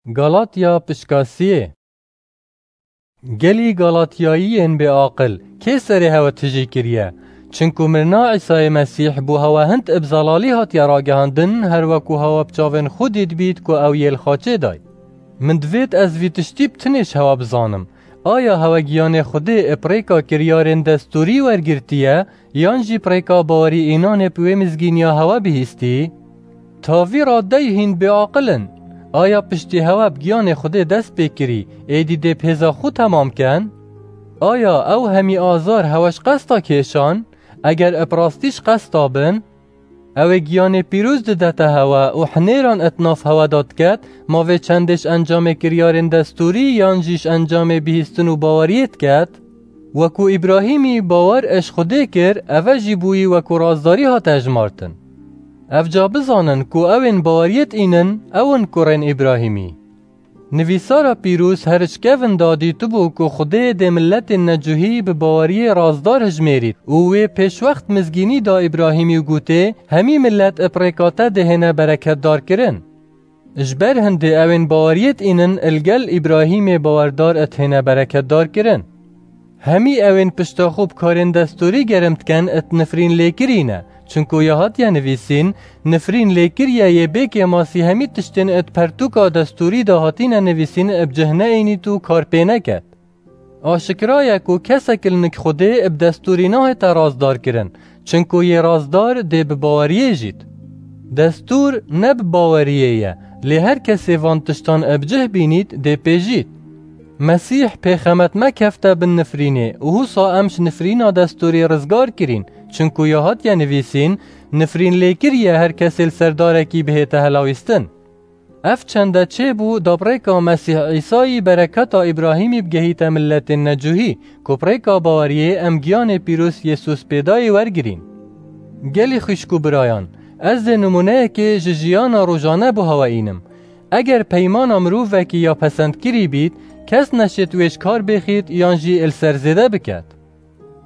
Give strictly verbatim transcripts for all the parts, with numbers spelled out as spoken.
Galatya pişka siyê. Gelî Galatyayiyên bêaqil, kê serê hewe tijî kiriye? Çinku mirina Îsayê Mesîh bo hewe hind ib zelalî hatiye ragihandin, her weku hewe bi çavên xwe dîtbît ku ew yê li xaçê day. Min divêt ez vî tiştî bi tinê ji hewe bizanim. Aya hewe giyanê Xwedê ib rêka kiryarên destûrî wergirtiye, yan jî bi rêka bawerî înanê bi wê mizgîniya hewe bihîstî? Tavî radeyî hîn bêaqil in. Aya piştî hewe bi giyanê Xwedê dest pê kirî, êdî dê bi hêza xwe temam ken? Aya ew hemî azar hewe ji qesta kêşan? Eger ib rastî ji qesta bin, ew ê giyanê pîroz didete hewe û hinêran id nav hewe de diket, ma vê çendê ji encamê kiryarên destûrî yan jî ji encamê bihîstin û baweriyê diket? Weku Îbrahîmî bawer ij Xwedê kir, eve jî bûyî weku razdarî hate hejmartin. Evca bizanin ku ewên baweriyê dînin, ew in kurên Îbrahîmî. Nivîsara pîroz her ji kevin da dîtibû ku Xwedê dê miletên necuhî bi baweriyê razdar hijmêrît û wê pêşwext mizgînî da Îbrahîmî û gotê, hemî milet ib rêka te dê hêne bereketdar kirin. Ji ber hindê ewên baweriyê dînin il gel Îbrahîmê bawerdar id hêne bereketdar kirin. Hemî ewên pişta xwe bi karên destûrî germ dikin id nifrîn lêkirî ne, çinku ya hatiye nivîsîn, nifrîn lêkiriye yê bê kêmasî hemî tiştên id pertûka destûrî de hatîne nivîsîn ib cih neînît û kar pê neket. Aşikira ye ku kesek li nik Xwedê ib destûrî nahête razdar kirin, çinku yê razdar dê bi baweriyê jît. Destûr ne bi baweriyê ye, lê her kesê van tiştan ib cih bînît dê pê jît. Mesîh pêxemet me kefte bin nifrînê û husa em ji nifrîna destûrî rizgar kirîn, çinku ya hatiye nivîsîn, nifrîn lê kiriye her kesê li ser darekî bihête helawîstin. Ev çende çêbû da bi rêka Mesîh Îsayî bereketa Îbrahîmî bigehîte miletên necuhî, ku bi rêka baweriyê em giyanê pîroz Yêsus pêdayê wergirîn. Gelî xwişk û birayan, ez dê nimûneyekê ji jiyana rojane bo hewe înim. Eger peymana mirovekî ya pesendkirî bît, kes neşêt wê ji kar bêxît yan jî li ser zêde biket.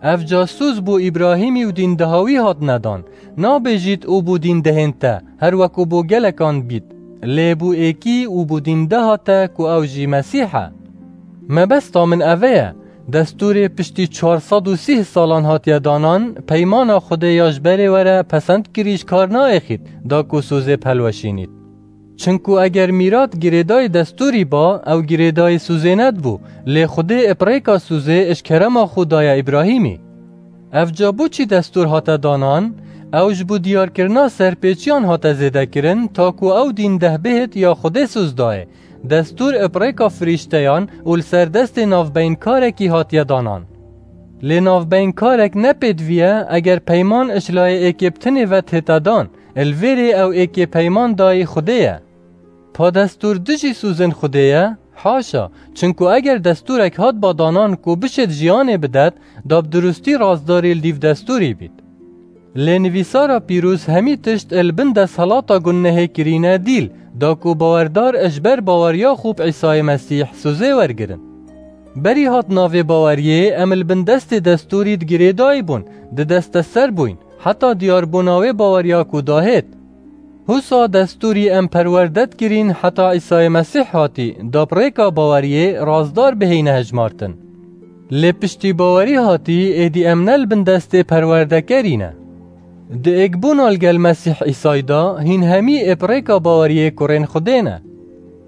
Ev ca sûz bo Îbrahîmî û dîndeha wî hatine dan. Nabêjît û bo dîndehên te, her weku bo gelekan bît. Lê bo êkî û bo dîndeha te ku ew jî Mesîh e. Mebesta min eve ye. Destûrê piştî çar sed û sîh salan hatiye danan, peymana Xwedê ya ji berê were pesendkirî ji kar naêxît, da ku sûzê bi helweşînît. Çinku eger mîrat girêdayî destûrî ba, ew girêdayî sûzê nedibû, lê Xwedê ib rêka sûzê ji kerema xwe daye Îbrahîmî. Ev ca bo çi destûr hate danan? Ew ji bo diyarkirina serpêçiyan hate zêdekirin, ta ku ew dîndeh bihêt ya Xwedê sûz dayê. Destûr ib rêka firîşteyan û li ser destê navbeynkarekî hatiye danan. Lê navbeynkarek ne pêdivî ye, eger peyman ji layê êkê bi tinê ve tête dan, li vêrê ew êkê peyman dayî Xwedê ye. Pa destûr dijî sûzên Xwedê ye? Haşa, çinku eger destûrek hat ba danan ku bişêt jiyanê bidet, da bi dirustî razdarî li dîv destûrî bît. Lê nivîsara pîroz hemî tişt li bin desthilata gunehê kirîne dîl, da ku bawerdar ji ber baweriya xwe bi Îsayê Mesîh sûzê wergirin. Berî hatina vê baweriyê em li bin destê destûrî di girêdayî bûn, di desteser bûyn, heta diyarbûna wê baweriya ku dahêt. Husa destûrî em perwerde dikirîn heta Îsayê Mesîh hatî, da bi rêka baweriyê razdar bihêyne hejmartin. Lê piştî bawerî hatî, êdî em ne li bin destê perwerdekerî ne. Di êkbûna li gel Mesîh Îsayî de hîn hemî ê bi rêka baweriyê kurên Xwedê ne.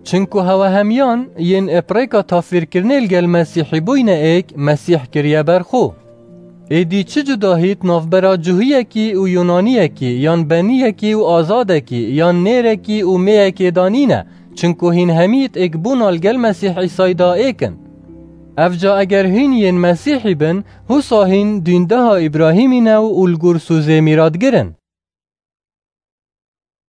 Çinku hewe hemiyan yên ê bi rêka tafîrkirinê li gel Mesîhî bûyne êk, Mesîh kiriye ber xwe. Êdî çi cudahît navbera Cuhiyekî û Yunaniyekî, yan beniyekî û azadekî, yan nêrekî û mêyekê de nîne, çinku hîn hemî êkbûna li gel Mesîh Îsayî de êk in. Ev ca eger hîn yên Mesîhî bin, husa hîn dîndeha Îbrahîmî ne û li gor sûzê mîratgir in.